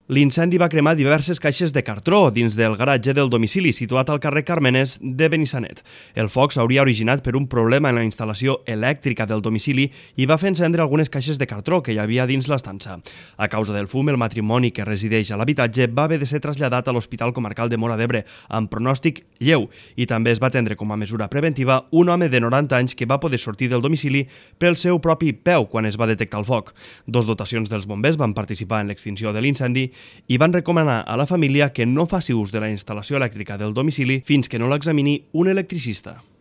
L'incendi va cremar diverses caixes de cartró dins del garatge del domicili situat al carrer Carmenes de Benissanet. El foc s'hauria originat per un problema en la instal·lació elèctrica del domicili i va fer encendre algunes caixes de cartró que hi havia dins l'estança. A causa del fum, el matrimoni que resideix a l'habitatge va haver de ser traslladat a l'Hospital Comarcal de Móra d'Ebre amb pronòstic lleu i també es va atendre com a mesura preventiva un home de 90 anys que va poder sortir del domicili pel seu propi peu quan es va detectar el foc. Dos dotacions dels bombers van participar en l'extinció de l'incendi i van recomanar a la família que no faci ús de la instal·lació elèctrica del domicili fins que no l'examini un electricista.